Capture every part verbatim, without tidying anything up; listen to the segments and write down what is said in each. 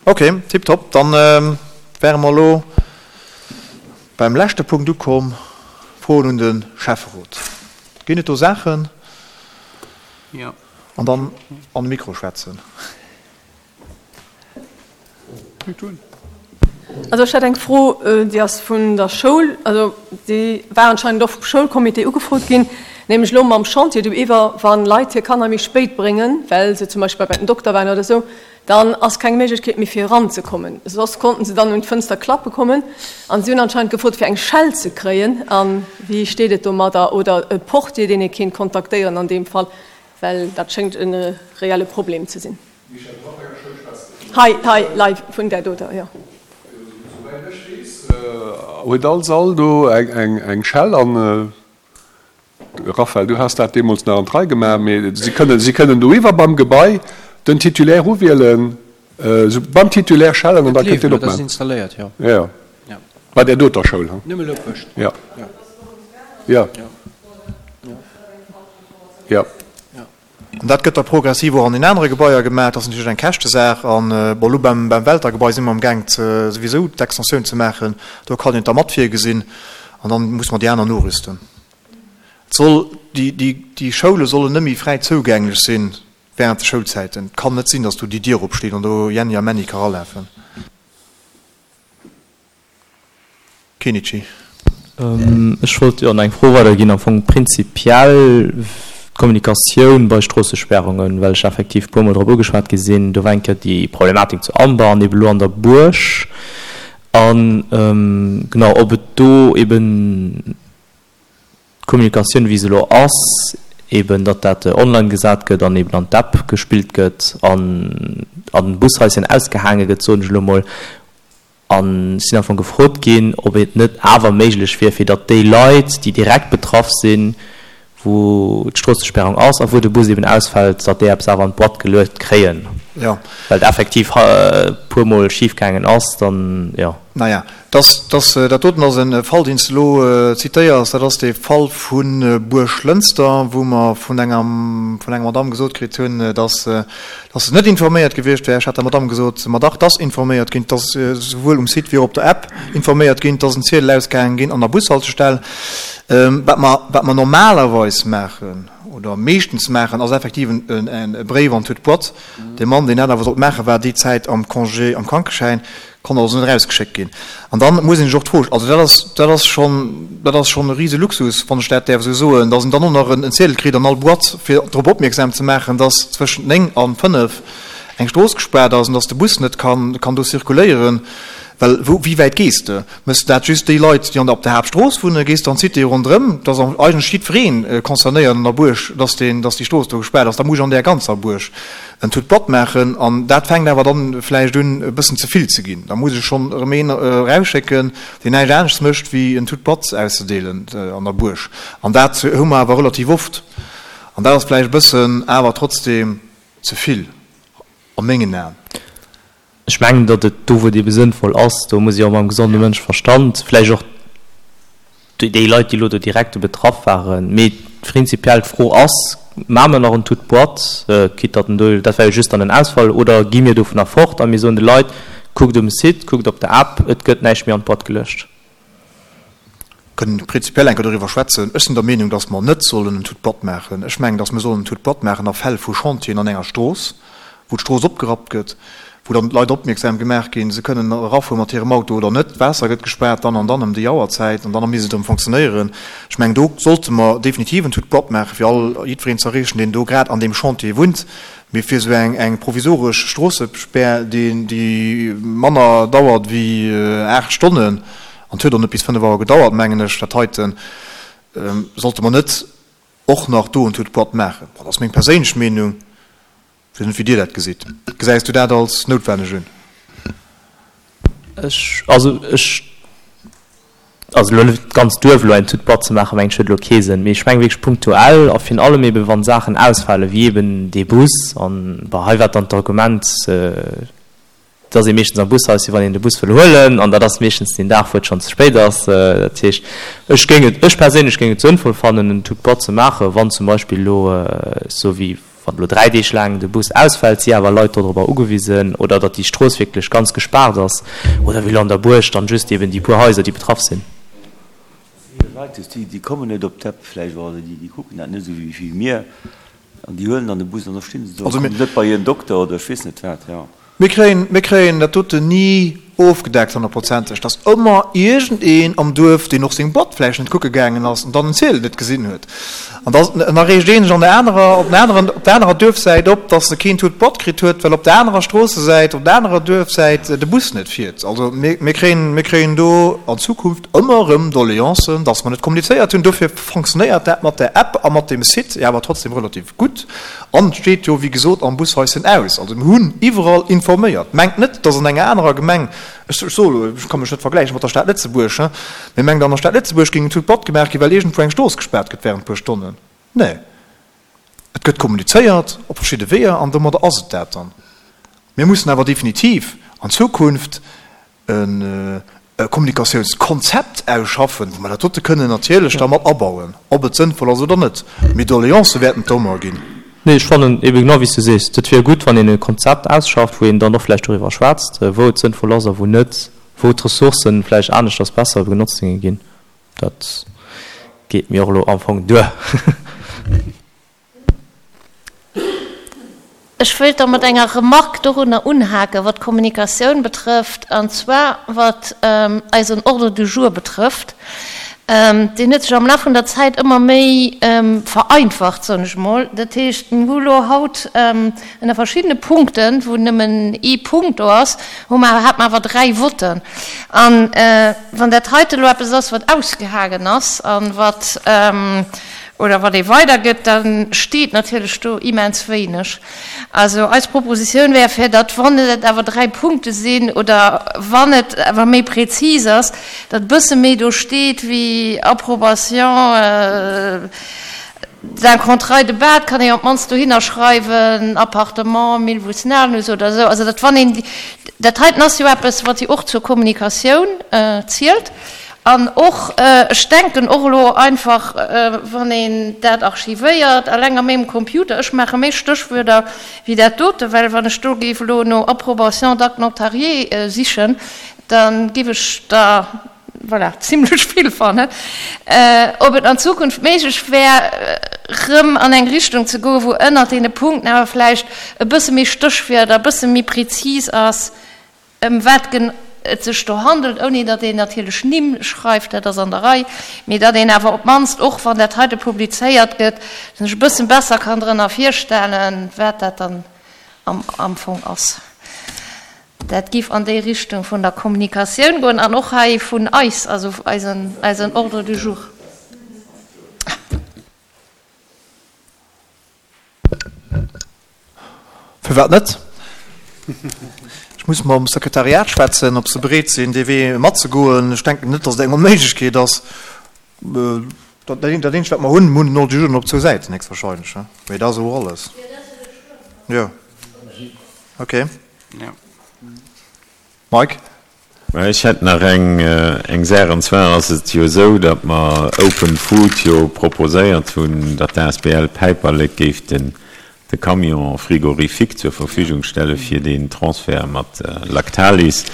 Ok, tiptop. Dann wäre mer elo beim leschte Punkt ukomm, Froen un de Schäfferot. Ginn et do Saachen? Jo. An dann an de Mikro schwätzen. Also ech hätt eng Fro, déi ass vun der Schoul, also déi war anscheinend och vum Schoulcomité ugefrot ginn, nämlech elo mam Chantier do iwwer, wa Leit hir Kanner méi spéit bréngen, well se zum Beispill bei den Dokter waren oder esou, dann ass keng Méiglechkeet méi fir eranzekommen. Soss konnten se dann un d'Fënster klappe kommen. An si hunn anscheinend gefrot fir eng Schell ze kréien. A wéi steet et domadder? Oder e Portier, deen ee kéint kontaktéieren an deem Fall, well dat schéngt e reelle Problem ze sinn. Hei, hei, lei vun där doter, jo. Souwäit ech weess, huet all Sall do eng Schell an. Raphaël, du has dat deemools nach an d'Rei gemaach, mee si kënnen, si kënnen doiwwer beim Gebai den Titulaire uwielen, esou beim Titulaire schellen an da kënnt deen Dat ass opmachen. installéiert, jo. Jo, jo. Ja. Bei där doter Schoul, hu? Nëmme elo Pëscht. Jo. Ja. Jo. Ja. Jo. Ja. An dat gëtt da progressiv och an den anere Gebaier gemaach. Dat ass natierlech eng Käschtesaach. An, bon, elo beim, beim Welter-Gebai si mer amgaang ze, souwisou d'Extensioun ze maachen. Do kann een et da mat virgesinn. An dann muss mer déi aner norüsten. Et soll, déi, déi, déi Schoule sollen net méi fräi zougänglech sinn während de Schoulzäiten. Et kann net sinn, dass do déi Dier opsteet an do Jenni a Männi ka ralafen. Kenichi. Ech wollt jo nach eng Fro weiderginn, am Fong prinzipiell d'Kommunikatioun bei Stroossesperrungen, well ech effektiv e puermol drop ugeschwat gi sinn. Do war eng Kéier déi Problematik zu Amber an ebe lo an der Buerg. An genau, ob et do eben d'Kommunikatioun, wéi se elo ass, eben datt dat online gesat gëtt an eben an d'App gespillt gëtt an an den Bushaischen ausgehaange gëtt, soen ech elo mol. An ech sinn am Fong gefrot ginn, ob et net awer méiglech wier, fir datt déi Leit, déi direkt betraff sinn, wou d'Stroossesperrung ass a wou de Bus eben ausfält, datt déi eppes awer an d'Boîte geluet kréien. Jo. Well et effektiv e puermol schifgaangen ass, dann, jo. Naja, dass, dass, dat doten ass e Fall, deen s de elo zitéiers, dat ass dee Fall vu Buerglënster, wou mer vun enger, vun enger Madamm gesot kritt hunn, dass, dass se net informéiert gewiescht wär. Ech hat der Madamm gesot, ma dach, 't ass informéiert ginn, 't ass souwuel um Site wéi och op der App informéiert ginn, 't ass en Ziedel ausgaange ginn an der Bushaltestell. Wat mer, wat mer normalerweis maachen oder meeschtens maachen, ass effektiv en Bréif an toute boîte. Dee Mann, deen dat awer sollt maachen, war déi Zäit am Congé, am Krankeschäin, konnt also net erausgeschéckt ginn. An dann muss een sech och d'Fro, also dat ass, dat ass schonn, dat ass schonn e rise Luxus, wann ech dat däerf esou soen, dass een dann och nach en Ziedel kritt an all Boîte, fir drop opmierksam ze maachen, dass zwëschent néng a fënnef eng Strooss gespaart ass an dass de Bus net kann, kann do zirkuléieren. Well wou, wéi wäit gees de? Méchs de dat just déi Leit, déi an der, op der Haaptstrooss wunnen? Gees de an d'Cité ronderëm? Et ass eigentlech jiddweree concernéiert an der Buerg, dass deen, dass déi Strooss do gespaart ass. Da muss ech an där ganzer Buerg en toute boîte maachen. An dat fänkt awer dann vläicht un, e bëssen ze vill ze ginn. Da muss ech schonn erëm een erausschécken, deen näischt aneschts mécht, wéi en toute boîte auszedeelen an der Buerg. An dat hu mer awer relativ oft. An dat ass vläicht e bëssen awer trotzdem ze vill a mengen Aen. Ech mengen, datt et do, wou et ebe sënnvoll ass, do muss ee och mam gesonde Mënscheverstand, vläicht och déi Leit, déi elo do direkt do betraff waren, mee prinzipiell d'Fro ass, Maache mer nach en toute boîte, quitte datt en do, dat war jo just dann en Ausfall, oder gi mir dovunner fort a mir soen de Leit, kuckt um Site, kuckt op der App, et gëtt näischt méi an d'Boîte geluecht? Kënnen prinzipiell eng Kéier doriwwer schwätzen. Ech sinn der Meenung, datt mer net sollen en toute boîte maachen. Ech mengen, datt mer sollen en toute boîte maachen a Fäll vu Chantieren an enger Strooss, wou d'Strooss opgerappt gëtt, wou dann d'Leit opmierksam gemaach ginn, se kënnen erafuere mat hirem Auto oder net, d'Waasser gëtt gespaart dann an dann ëm déi Auerzäit an dann misst et erëm fonctionnéieren. Ech mengen, do sollte mer definitiv en toute boîte maachen, fir all, jiddwereen ze erreechen, deen do grad an deem Chantier wunnt. Mee fir esou eng, eng provisoresch Stroossespär, déi, déi manner dauert wéi aacht Stonnen, An et huet och net bis fënnef Auer gedauert, mengen ech, dat heiten sollte mer net och nach do en toute boîte maachen. Bon, dat ass meng perséinlech Meenung. Ech weess net, wéi Dir dat gesitt. Gesäis du dat als noutwenneg un? Ech, also ech, also elo net d'ganz Duerf elo eng toute boîte ze maachen, mengen ech, huet elo kee Sënn. Mee ech mengen wierklech punktuell a virun allem eeben, wa Saachen ausfalen, wéi eeben dee Bus. An, bon, hei war dann d'Argument, Et ass ee meeschtens am Bushaus, wann een de Bus wëll huelen, an dat ass meeschtens deen Dag, wou et schonn ze spéit ass. Dat heescht, ech géing et, ech perséinlech géing et sënnvoll fannen, en toute boîte ze maachen, wann zum Beispill elo, esou wéi wann elo dräi Deeg laang de Bus ausfält, si awer Leit dodrobber ugewisen, oder datt déi Strooss wierklech ganz gespaart ass, oder wéi elo an der Buerg dann just eben déi puer Haiser, déi betraff sinn. Leit, déi kommen net op d'App vläicht, oder déi kucken dat net esou wéi mir, an déi huelen dann de Bus an da stinn se do a kommen net bei hiren Dokter oder ech weess net wat, jo. Mir kréien, mir kréien dat doten ni ofgedeckt honnertprozenteg. Et ass ëmmer iergendeen am Duerf, deen och seng Boîte vläicht net kucke gaangen ass an dann den Ziedel net gesinn huet. An da, an da reegt een sech an der anerer, op den aneren, op der anerer Duerfsäit op, dass e keen Tut Boîte kritt huet, well op der anerer Stroossesäit, op der anerer Duerfsäit de Bus net fiert. Also mir, mir kréien, mir kréien do an Zukunft ëmmer erëm Doleancen, dass mer net kommunizéiert hunn. Dofir fonctionnéiert dat mat der App a mat dem Site jo awer trotzdem relativ gutt. An et steet jo, wéi gesot, am Bushaischen aus. Also mir hunn iwwerall informéiert. Mengt net, dass an enger anerer Gemeng, ech soe elo, ech ka mech net vergläiche mat der Stad Lëtzebuerg, mee mengt, an der Stad Lëtzebuerg géing en Tout Batt gemaach ginn, well iergendwou eng Strooss gespaart gëtt während e puer Stonnen. Nee. Et gëtt kommunizéiert op verschidde Weeër an domadder ass et dat dann. Mir mussen awer definitiv an Zukunft e Kommunikatiounskonzept ausschaffen, wou mer dat dote kënnen natierlech da mat abauen, ob et sënnvoll ass oder net. Mee Doleancë wäerten et ëmmer ginn. Nee, ech fannen ebe genau wéi s du sees, et wier gutt, wann een e Konzept ausschafft, wou een dann och vläicht doriwwer schwätzt, wou et sënnvoll ass a wou net, wou d'Ressourcen vläicht aneschters besser genotzt géinge ginn. Dat geet mir och elo am Fong duer. Ech wëilt da mat enger Remarque dorunner unhaken, wat d'Kommunikatioun betrëfft, an zwar wat eisen Ordre du jour betrëfft. Deen huet sech am Laf vun der Zäit ëmmer méi vereinfacht, soen ech emol. Dat heescht, mir hu elo haut ënner verschiddene Punkten, wou nëmmen ee Punkt do ass, hu mer, hate mer awer dräi Votten. An wann dat heite elo eppes ass, wat ausgehaangen ass a wat, oder wat ee weidergëtt, da steet natierlech do immens wéineg. Also eis Propositioun wär, fir datt, wann et awer dräi Punkte sinn oder wann et awer méi prezis ass, datt e bësse méi do steet wéi Approbation d'un contrat de bail, kann ee op d'mannst dohinner schreiwen, Appartement Milvus-Nanus oder esou. Also datt wann een, dat heiten ass jo eppes, wat jo och zur Kommunikatioun zielt. An och, ech denken och elo einfach, wann een dat archivéiert, eleng a mengem Computer, ech maache méi Stéchwuerder wéi dat dote, well wann ech do géif elo no Approbation d'acte notarié sichen, da géif ech der, voilà, zimlech vill fannen. Ob et an Zukunft méiglech wär, erëm an eng Richtung ze goen, wou ënnert deene Punkten awer vläicht e bësse méi Stéchwierder, e bësse méi prezis ass, ëm wat et sech do handelt, ouni datt een natierlech Nimm schreift, dat ass an der Rei, mee datt een awer op d'mannst, och wann dat heite publizéiert gëtt, sech e bëssen besser kann drënner virstellen, wat dat dann am Fong ass. Dat géif an déi Richtung vun der Kommunikatioun goen an och hei vun eis, also eisen Ordre du jour. Firwat net? Ech muss mam Sekretariat schwätzen, ob se bereet sinn, dee Wee matzegoen. Ech denken net, datt et eng Onméiglechkeet ass. Dat eenzegt, wat mer hunn, mir hunn den Ordre du jour op zwou Säiten héchstwahrscheinlech, mee dat ass och alles. Jo, okay. Mike? Ech hätt nach eng Saach, an zwar ass et jo esou, datt mer Open Food jo proposéiert hunn, datt d'Asbl Päiperlek géif den de Camion frigorifique zur Verfügung stelle fir deen Transfert mat Lactalis.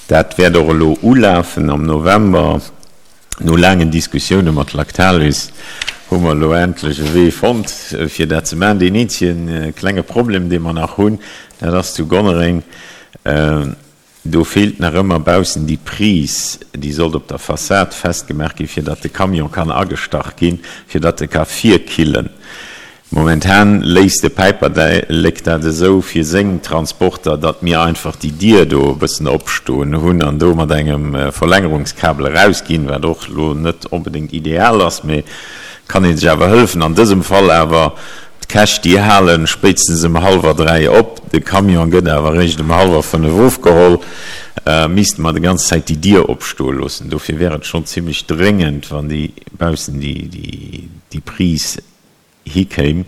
Dat wäert och elo ulafen am November. No laangen Diskussioune mat Lactalis hu mer elo endlech e Wee fonnt, fir dat ze maachen. Deen eenzege klenge Problem, dee mer nach hunn, dat ass zu Gonnereng, Do feelt nach ëmmer baussen déi Prise, déi sollt op der Fassad festgemaach ginn, fir datt de Camion kann agestach ginn, fir datt e ka virkillen. Momentan léisst de Päiperlek dat esou fir seng Transporter, datt mir einfach déi Dier do e bëssen opstoen hunn an do mat engem Verlängerungskabel erausginn, wat och elo net onbedéngt ideal ass, mee kann ee sech awer hëllefen. An dësem Fall awer D'Käch, déi halen spéitstens ëm hallwer dräi op, de Camion gëtt awer eréischt ëm hallwer fënnef ofgeholl, misste mer déi ganz Zäit déi Dier opstoe loossen. Dofir wär et schonn zimlech dréngend, wann déi baussen déi Prise hikéim.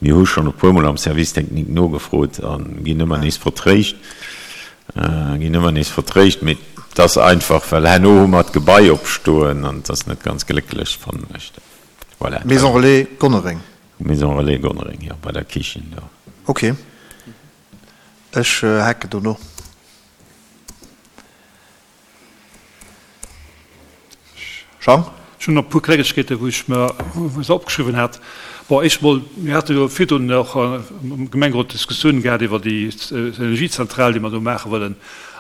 Mir hu schonn e puermol am Service technique nogefrot a ginn ëmmer nees vertréischt, ginn ëmmer nees vertréischt. Mee et ass einfach, well herno hu mer d'Gebai opstoen an et ass net ganz glécklech, fannen ech. Voilà. Maison Relais Gonnereng. Maison Relais Gonnereng, jo, bei der Kichen do. Ok, ech haken do no. Jean? Ech hunn nach e puer Klengegkeeten, wou ech mer se opgeschriwwen hat. Bon, éischt emol, mir hate jo virdrun och am Gemengerot Diskussiounen gehat iwwer déi Energiezentral, déi mer do maache wëllen.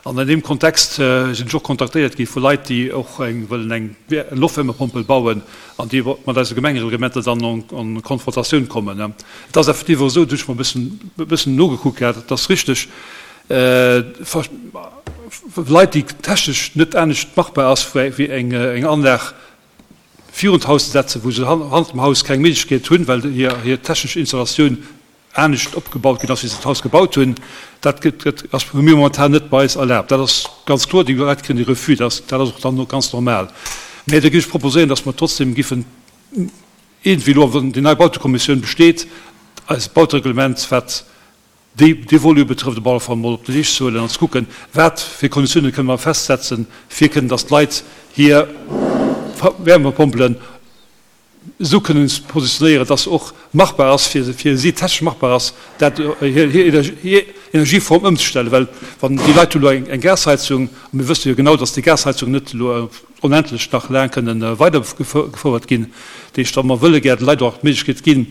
An an deem Kontext sinn ech och kontaktéiert gi vu Leit, déi och eng wëllen eng Loftwärmepompel bauen an déi mat eise Gemengereglementer dann en Konfrontatioun kommen. Et ass effektiv och esou, dat hunn ech mer e bëssen, e bëssen nogekuckt gehat, et ass richteg, Leit, déi technesch net anescht machbar ass, wéi eng Anlag virun d'Haus ze setzen, wou se hannert dem Haus keng Méiglechkeet hunn, well hir technesch Installatioun anescht opgebaut ginn ass, wéi se d'Haus gebaut hunn. Dat gëtt, ass hu mir momentan net bei eis erlaabt. Dat ass ganz kloer, déi Leit kréien de Refus, dat ass, dat ass och dann ganz normal. Mä da géif ech proposéieren, datt mer trotzdem giffen iergendwéi elo, wann déi nei Bautekommissioun besteet, eist Bautereglement, wat déi, dee Volet betrëfft, op alle Fall mol op de Leescht ze huelen an ze kucken, wat fir Konditiounen kënne mer festsetzen, fir kënnen, datt d'Leit hir Wärmepompelen esou kënnen positionéieren, dass se och machbar ass, fir fir si technesch machbar ass, dat hir hir Energieform ëmzestellen. Well wann déi Leit hu elo eng Gasheizung, a mir wësse jo genau, dass déi Gasheizung net elo onendlech nach laang kënnen weidergefouert ginn, dat heescht, wa mer wëlle gär de Leit och d'Méiglechkeet ginn,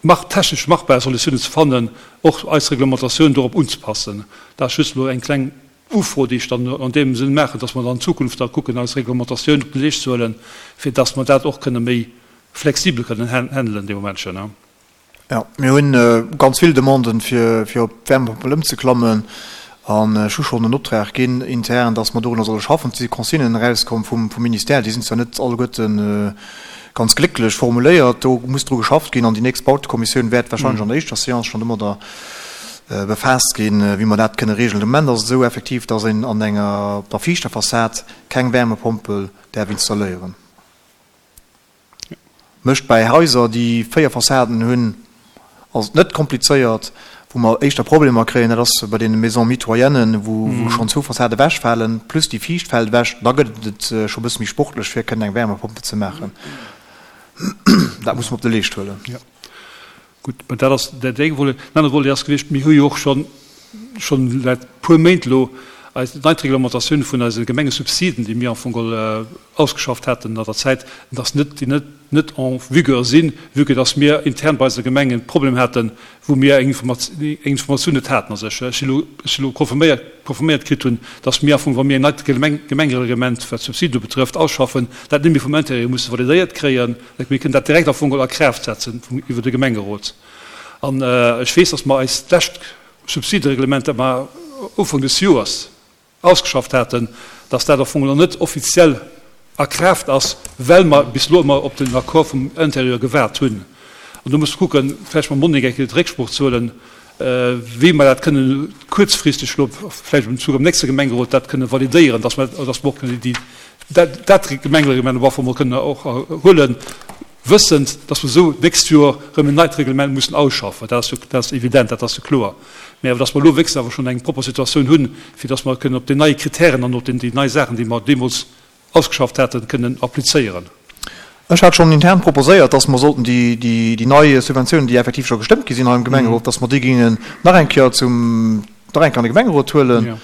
mach technesch machbar Solutiounen ze fannen, och eis Reglementatioun dorop unzepassen. Dat ass just elo eng kleng Ufro, déi ech dann an deem Sënn maachen, dass mer dann an Zukunft da kucken, eis Reglementatioun op den Leescht ze huelen, fir dass mer dat och kënne méi flexibel kënnen handelen dee Momentchen. Jo, mir hu ganz vill Demanden, fir fir op d'Wärmepompel ëmzeklammen. An ech hu schonn en Optrag ginn intern, dass mer dorunner solle schaffen. Et si Consignen erauskomm vum Ministère, déi sinn zwar net alleguerte ganz glécklech formuléiert, do muss dru geschafft ginn. An déi nächst Bautekommissioun wäert wahrscheinlech an der éischter Séance schonn domadder befaasst ginn, wéi mer dat kënne regeln. De Moment ass et esou effektiv, dass een an enger, op der viischter Fassad keng Wärmepompel däerf installéieren. Mécht bäi Haiser, déi véier Fassaden hunn, ass et net komplizéiert. Wou mer éischter Problemer kréien, dat ass bei deene Maisons mitoyennes, wou schonn zwou Fassade ewechfalen, plus déi viischt fält ewech. Da gëtt et scho e bësse méi sportlech, fir kënnen eng Wärmepompe ze maachen. Dat musse mer op de Leescht huelen. Gutt, mä dat ass dat eng Volet. Den anere Volet ass gewiescht, mir hu jo och schonn, schonn säit e puer Méint elo eis nei d'Reglementatioun vun eise Gemengesubsiden, déi mir am Fong geholl ausgeschafft haten an der Zäit, dass net, déi net, net en vigueur sinn, vue que dass mir intern bei eise Gemengen e Problem haten, wou mir eng Informatioun net haten. Also ech si elo, ech si elo confirméiert, confirméiert kritt hunn, dass mir am Fong, wa mir en neit Gemengereglement, wat d'Subside betrëfft, ausschaffen, dat net méi vum Intérieur musse validéiert kréien. Mir kënnen dat direkt am Fong a Kraaft setzen iwwer de Gemengerot. An ech weess, dass mer eist lescht Subsidereglement, dat mer Ufank des Joers ausgeschafft haten, dass dat am Fong nach net offiziell a Kraaft ass, well mer bis elo ëmmer op den Accord vum Intérieur gewaart hunn. An do muss mer kucken, vläicht mam Monique eng Kéier Récksprooch ze huelen, wéi mer dat kënnen kuerzfristeg elo, vläicht am Zuch am nächste Gemengerot, dat kënnen validéieren, dass mer, dass mer och kënnen déi, dat, dat Gemengereglement op alle Fall mol kënnen och huelen, wëssend, dass mer esou d'nächst Joer erëm en neit Reglement mussen ausschaffen. Dat ass jo, dat ass evident, dat ass jo kloer. Mä awer dass mer elo wéchstens awer schonn eng propper Situatioun hunn, fir dass mer kënnen op déi nei Kritären an op déi nei Saachen, déi mer deemools ausgeschafft haten, kënnen applizéieren. Ech hat schonn intern proposéiert, dass mer sollten déi, déi nei Subventiounen, déi effektiv scho gestëmmt gi sinn hei am Gemengerot, dass mer déi géingen nach eng Kéier zum, nach eng Kéier an de Gemengerot huelen,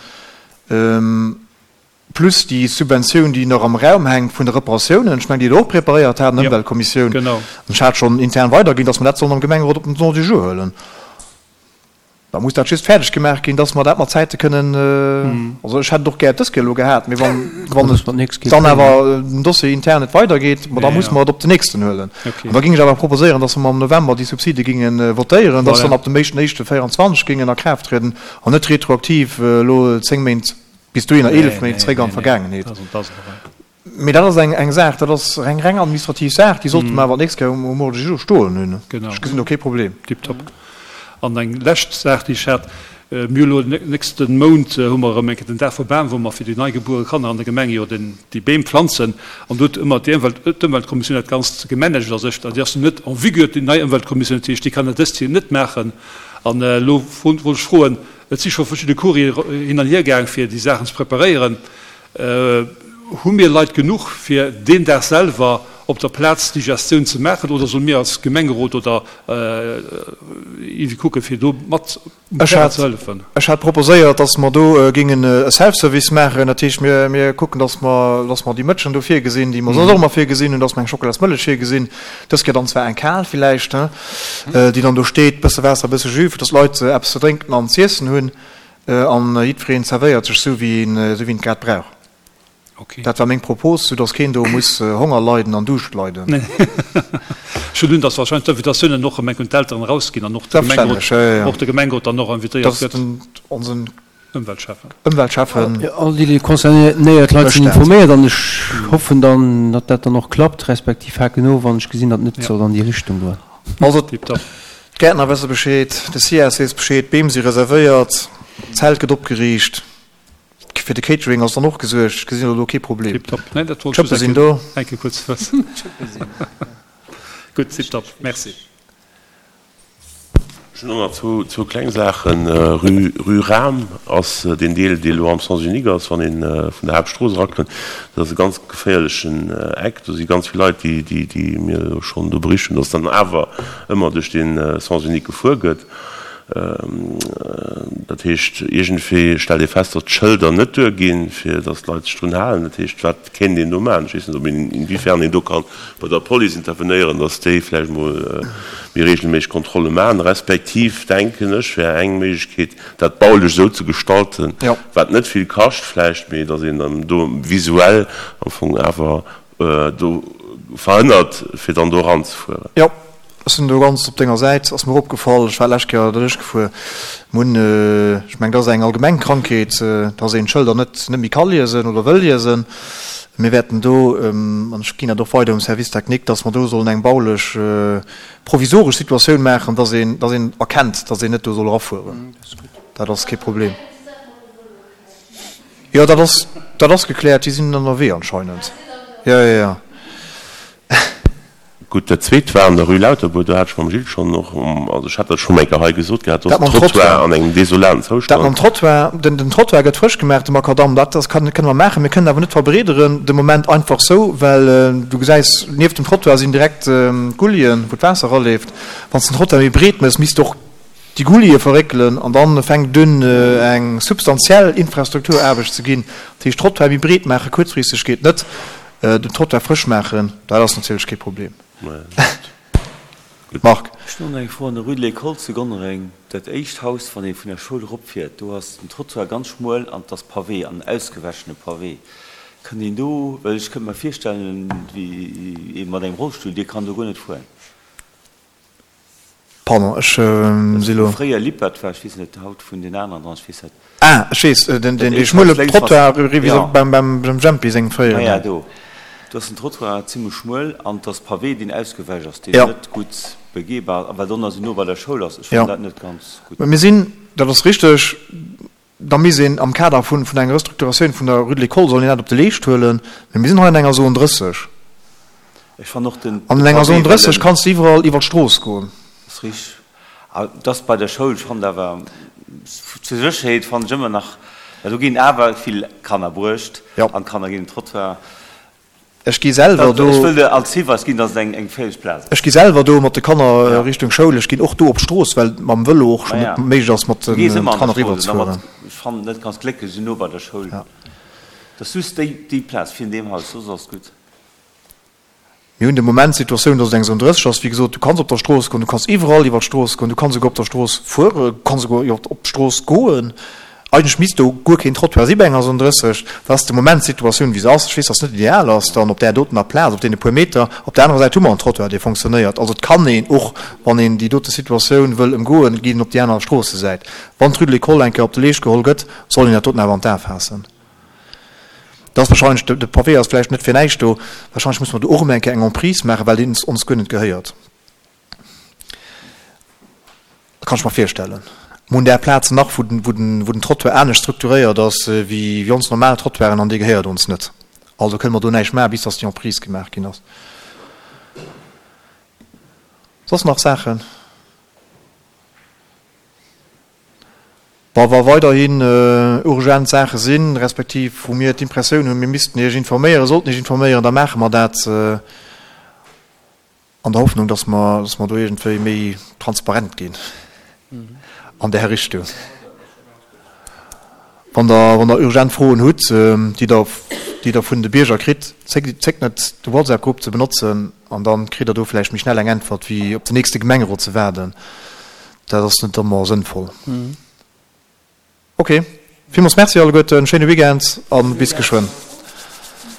plus déi Subventioun, déi nach am Raum hänkt vun de Reparatiounen, ech mengen, déi Der och preparéiert hat an der Ëmweltkommissioun. Ech hat schonn intern weiderginn, dass mer dat sollen am Gemengerot op den Ordre du jour huelen. Da muss dat just fäerdeg gemaach ginn, dass mer dat mat Zäite kënnen, also ech hätt et och gär dës Kéier elo gehat, mee wann, wann et dann awer den Dossier intern net weidergeet, ma da muss mer et op den nächsten huelen. An da géing ech awer proposéieren, dass mer am November déi Subside géinge votéieren, dass se dann ab dem éischten éischte véierundzwanzeg géingen a Kraaft trieden an net retroaktiv elo zéng Méint, bis dohinner eelef Méint zréck an d'Vergaangenheet. Mee dat ass eng Saach, dat ass eng reng administrativ Saach, déi sollte mer awer d'nächst Kéier um Ordre du jour stoen hunn. Ech gesinn do kee Problem. Tiptop. An eng lescht Saach, déi ech hat, Mir hu elo nächste Mount hu mer erëm eng Kéier den Dag vum Bam, wou mer fir déi neigebuere Kanner an der Gemeng jo den, déi Beem planzen. An do huet ëmmer déi Ëmwelt, d'Ëmweltkommissioun dat Ganzt gemanagt a sech. Déi ass net en vigueur, déi nei Ëmweltkommissioun, dat heescht, déi kann dat dëst Joer net maachen. An elo wollt ech froen, et si scho verschidde Courrier hin an hier gaang, fir déi Saachen ze preparéieren, Hu mir Leit genuch, fir deen Dag selwer op der Plaz déi Gestioun ze maachen oder solle mir als Gemengerot oder iergendwéi kucken, fir do mat um Terrain ze hëllefen? Ech hat proposéiert, dass mer do géingen e Self-Service maachen. Dat heescht, mir, mir kucken, dass mer, dass mer déi Mëtschen do virgesinn, déi mer soss och ëmmer virgesinn hunn, dass mer eng Schokolasmëllech virgesinn, dës Kéier dann zwar eng kal villäicht, déi dann do steet, bësse Waasser, bësse Jus, fir dass d'Leit eppes ze drénken an z'iessen hunn. An jiddwereen zerwéiert sech esou, wéi en, esou wéi en et grad brauch. Dat war meng Propos, sou dass keen do muss Honger leiden an Duuscht leiden. Ech hunn un, dass wahrscheinlech d'Invitatiounen och ëm eng un d'Elteren erausginn an och de Gemengerot, och de Gemengerot dann och invitéiert gëtt. Onsen Ëmweltschäffen. Ëmweltschäffen. All déi concernéiert Leit sinn informéiert an ech hoffen dann, datt dat dann och klappt, respektiv haken of, wann ech gesinn, datt net soll an déi Richtung goen. Also d'Gäertner wësse Bescheed, de SIAS weess Bescheed, d'Beem si reservéiert, d'Zelt gëtt opgeriicht. Fir de Catering ass dann och gesuergt. Ech gesinn elo do kee Problem. Tiptop. Nee, dat wollt ech D'Schëppe sinn do. eng Kéier kuerz wëssen. Gutt, tiptop. Merci. Ech hunn och nach zwou, zwou kleng Saachen. Rue, Rue Rahm ass deen Deel, dee elo am Sens unique ass, wann ee vun der Haaptstrooss erakënnt. Dat ass e ganz geféierlechen Eck. Do si ganz vill Leit, déi, déi, déi mir elo schonn do bericht hunn, dass dann awer ëmmer duerch dee Sens unique gefuer gëtt. Dat heescht, iergendwéi stellt ee fest, datt d'Schëlder net duerginn, fir datt d'Leit sech drun halen. Dat heescht, wat kéint een do maachen? Ech weess net, ob een, inwiefern een do ka bei der Police intervenéieren, datt déi vläicht emol méi regelméisseg Kontrolle maachen. Respektiv, denken ech, wär eng Méiglechkeet, dat baulech esou ze gestalten, wat net vill kascht vläicht, mee datt een do visuell am Fong awer do verhënnert, fir dann do eranzefueren. Jo, ech sinn do ganz op denger Säit. Ass mir och opgefall, ech war d'lescht Kéier derduerch gefuer. Mir hunn, ech mengen, dat ass eng allgemeng Krankheet, dass een d'Schëlder net net méi ka liesen oder wëll liesen. Mir wäerten do, an ech ginn dat och weider um Service technique, dass mer do sollen eng baulech provisoresch Situatioun maachen, dass een, dass een erkennt, dass een net do soll erafueren. Dat ass kee Problem. Jo, dat ass, dat ass gekläert. Déi sinn ënnerwee anscheinend. Jo, jo, jo. Gutt, dat Zweet war an der Rue Lauterbourg. Do hat ech mam Gilles schonn och, also ech hat dat schonn eng Kéier hei gesot gehat, do ass den Trottoir an engem desolaten Zoustand. Dat mam Trottoir, den, den Trottoir gëtt frësch gemaach, de Makadamm, dat ass, kann, kënne mer maachen. Mir kënnen awer net verbreederen de Moment einfach sou, well du gesäis, nieft dem Trottoir sinn direkt d'Gullien, wou d'Waasser eraleeft. Wann s de den Trottoir méi breet méchs, misst och déi Gullie verréckelen an dann fänkt et un eng substantiell Infrastrukturaarbecht ze ginn. Dat heescht Trottoir méi breet maache kuerzfristeg geet net, den Trottoir frësch maachen, dat ass natierlech kee Problem. Marc. Ech hunn och nach eng Fro an der Rue de l'École zu Gonnereng, dat éischt Haus wann ee vun der Schoul eropfiert, do ass den Trottoir ganz schmuel an et ass Pavé an ausgewäschene Pavé. Kënnt een do, well ech kënnt mer virstellen, wéi ee mat engem Rollstull, dee kann do guer net fueren. Pardon, ech si lo. Wou fréier Lippert war, ech weess net haut vun den aneren dran, ech weess net. Ah, ech weess, den dee schmuele Trottoir ewéi beim Jempi sengem fréieren. Maja, do, do ass den Trottoir zimlech schmuel an et ass Pavé, deen ausgewäsch ass, deen net gutt begehbar ass, a well d'Onner esou no bei der Schoul ass, ech fannen dat net ganz gutt. Mä mir sinn, dat ass richteg, da misst een am Kader vun enger Restrukturatioun vun der Rue de l'École soll een dat op de Leescht huelen, mä mir sinn hei an enger Zone drësseg. Ech fannen och den An enger Zone drësseg kanns de iwwerall iwwer d'Strooss goen. Ass richteg. A dass bei der Schoul, ech fannen awer, zur Sécherheet fannen ech ëmmer nach, well do ginn awer vill Kanner bruecht an d'Kanner ginn den Trottoir. Ech gi selwer do. Ech wëll der als Hiweis ginn, dass et eng geféierlech Plaz ass. Ech gi selwer do mat de Kanner Richtung Schoul. Ech ginn och do op d'Strooss, well mam Vëlo och schonn net méiglech ass, mat de Kanner eriwwer ze fueren. Ech fannen et net ganz glécklech esou no bei der Schoul. Et ass just déi Plaz virun deem Haus, soss ass et gutt. Mir hunn de Moment d'Situatioun, dass et eng Zone drësseg ass. Wéi gesot, du kanns op der Strooss goen, du kanns iwwerall iwwer d'Strooss goen, du kanns esouguer op der Strooss fueren, du kanns esouguer iwwer op d'Strooss goen. Eigentlech misst do guer keen Trottoir si bei enger Zone drësseg. Dat ass de Moment d'Situatioun, wéi se ass. Ech weess, dass se net ideal ass dann op där dotener Plaz, op deene puer Meter. Op der anerer Säit hu mer en Trottoir, dee fonctionnéiert. Also et kann een och, wann een déi dote Situatioun wëll ëmgoen, geet een op déi aner Stroossesäit. Wann d'Rue de l'École eng Kéier op de Leescht geholl gëtt, soll een dat doten awer an d'A faassen. Dat ass wahrscheinlech, de Pavé ass vläicht net fir näischt do, wahrscheinlech musse mer do och erëm eng Kéier eng Emprise maachen, well deen ons guer net gehéiert. Dat kann ech mer virstellen. Mer hunn där Plazen nach, wou den, wou den, wou den Trottoir anescht strukturéiert ass wéi, wéi ons normal Trottoiren an dee gehéiert ons net. Also kënne mer do näischt maachen, bis dass déi Emprise gemaach ginn ass. Soss nach Saachen? Wa weiderhin urgent Saache sinn, respektiv wou mir d'Impressioun hunn, mir missten Iech informéieren, sollten Iech informéieren, da maache mer dat. An der Hoffnung, dass mer, dass mer do iergendwéi méi transparent ginn an där Richtung. Wann Der, wann Der urgent Froen hutt, déi Der, déi Der vun de Bierger kritt, zéckt, zéckt net, de WhatsApp-Grupp ze benotzen an da kritt Der do vläicht méi schnell eng Äntwert, wéi op den nächste Gemengerot ze waarden. Dat ass net ëmmer sënnvoll. Ok, villmools Merci alleguerten, schéine Weekend a bis geschwënn.